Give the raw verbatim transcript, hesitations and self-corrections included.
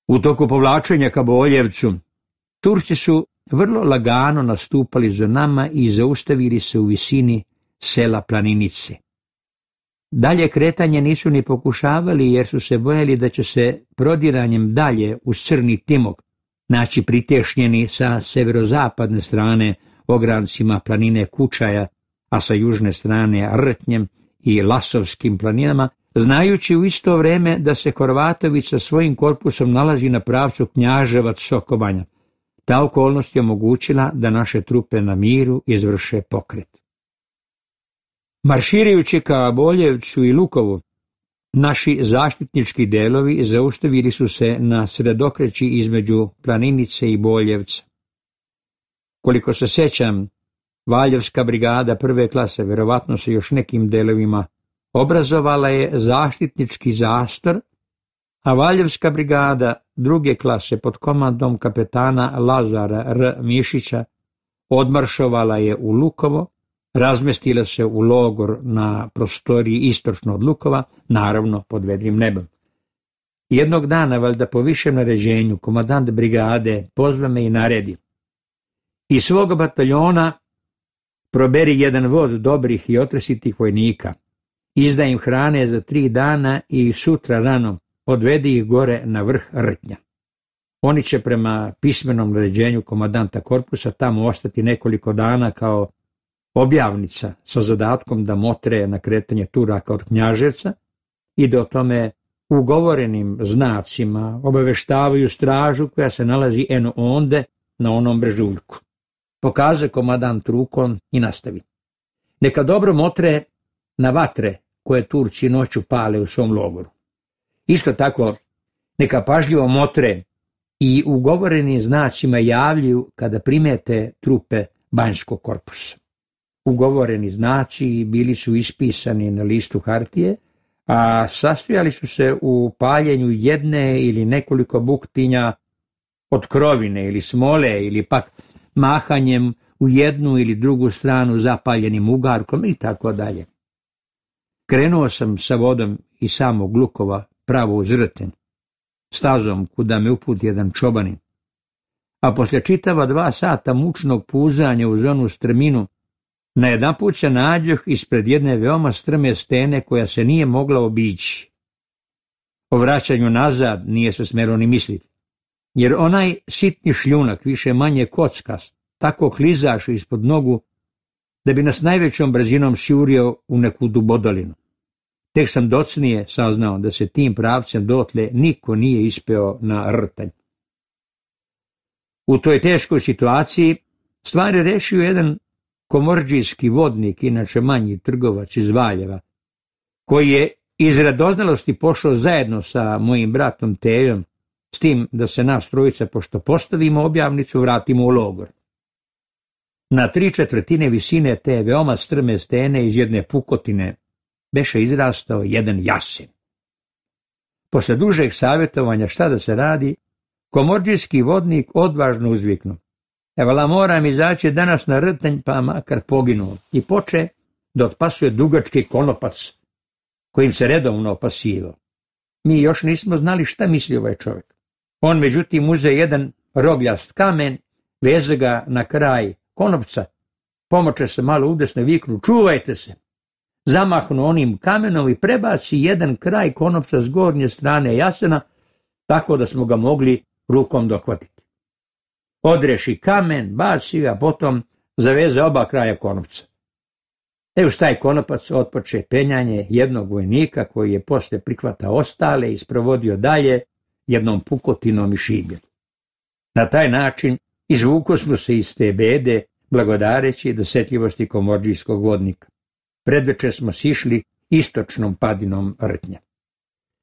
U toku povlačenja ka Boljevcu, Turci su vrlo lagano nastupali za nama i zaustavili se u visini sela Planinice. Dalje kretanje nisu ni pokušavali jer su se bojali da će se prodiranjem dalje uz Crni Timok naći pritešnjeni sa severozapadne strane ograncima planine Kučaja, a sa južne strane Rtnjem i Lasovskim planinama, znajući u isto vrijeme da se Horvatović sa svojim korpusom nalazi na pravcu Knjaževac-Sokobanja. Ta okolnost je omogućila da naše trupe na miru izvrše pokret. Marširajući ka Boljevcu i Lukovu, naši zaštitnički delovi zaustavili su se na sredokreći između Planinice i Boljevca. Koliko se sjećam, Valjevska brigada prve klase, verovatno se još nekim delovima, obrazovala je zaštitnički zastor, a Valjevska brigada druge klase pod komandom kapetana Lazara R. Mišića odmaršovala je u Lukovo, razmestila se u logor na prostoriji istočno od Lukova, naravno pod vedrim nebom. Jednog dana, valjda po višem naređenju, komandant brigade pozva me i naredi: iz svog bataljona proberi jedan vod dobrih i otresitih vojnika, izdaj im hrane za tri dana i sutra rano odvedi ih gore na vrh Rtnja. Oni će prema pismenom naređenju komandanta korpusa tamo ostati nekoliko dana kao objavnica sa zadatkom da motre na kretanje Turaka od Knjaževca i da o tome ugovorenim znacima obaveštavaju stražu koja se nalazi eno onde na onom brežuljku. Pokaže komandant rukom i nastavi: neka dobro motre na vatre koje Turci noću pale u svom logoru. Isto tako, neka pažljivo motre i ugovorenim znacima javljaju kada primete trupe Banjskog korpusa. Ugovoreni znaci bili su ispisani na listu hartije, a sastojali su se u paljenju jedne ili nekoliko buktinja od krovine ili smole ili pak mahanjem u jednu ili drugu stranu zapaljenim ugarkom i tako dalje. Krenuo sam sa vodom iz samog Lukova pravo uz Rten, stazom kuda me uputi jedan čobanin, a poslije čitava dva sata mučnog puzanja uz onu strminu, najedanput se nađoh ispred jedne veoma strme stene koja se nije mogla obići. O vraćanju nazad nije se smjelo ni misliti, jer onaj sitni šljunak, više manje kockast, tako klizaše ispod nogu da bi nas najvećom brzinom sjurio u neku dubodolinu. Tek sam docnije saznao da se tim pravcem dotle niko nije ispeo na Rtanj. U toj teškoj situaciji stvari rešio jedan komordžijski vodnik, inače manji trgovac iz Valjeva, koji je iz radoznalosti pošao zajedno sa mojim bratom Tejom, s tim da se nas trojica, pošto postavimo objavnicu, vratimo u logor. Na tri četvrtine visine te veoma strme stene iz jedne pukotine beše izrastao jedan jasen. Posle dužeg savjetovanja šta da se radi, komordžijski vodnik odvažno uzviknu: evala, moram izaći danas na Rtanj, pa makar poginuo, i poče da otpasuje dugački konopac kojim se redovno opasivao. Mi još nismo znali šta misli ovaj čovjek. On međutim uze jedan rogljast kamen, veze ga na kraj konopca, pomoče se malo udesno i viknu: čuvajte se! Zamahnu onim kamenom i prebaci jedan kraj konopca s gornje strane jasena, tako da smo ga mogli rukom dohvatiti. Odreši kamen, baci, a potom zaveze oba kraja konopca. E uz taj konopac otpoče penjanje jednog vojnika koji je posle prihvatao ostale i sprovodio dalje jednom pukotinom i šibljem. Na taj način izvuko smo se iz te bede blagodareći dosetljivosti komordžijskog vodnika. Predveče smo sišli istočnom padinom Rtnja.